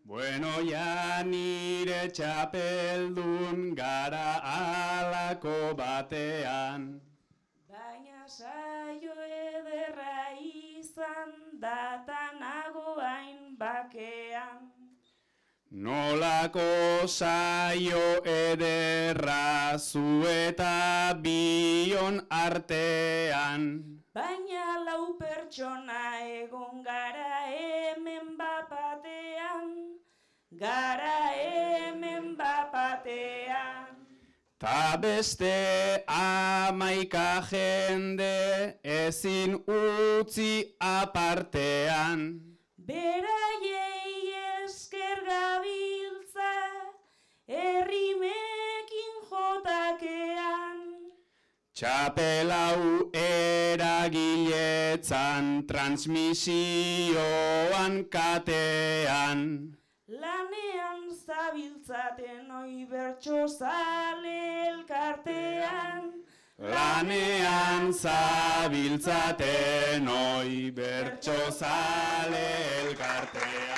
Bueno, ja nire txapeldun gara alako batean. Baina saio ederra izan datanago hain bakean. Nolako saio ederra zu eta bion artean. Baina lau pertsona egon gara hemen bapatean, gara hemen bapatean. Ta beste 11 jende ezin utzi apartean. Beraiei esker gabiltza, errimekin jotakean. Txapelau eragiletzan, transmisioan katean. Lanean zabiltzaten oi bertsozale elkartean. Lanean zabiltzaten oi bertsozale elkartean.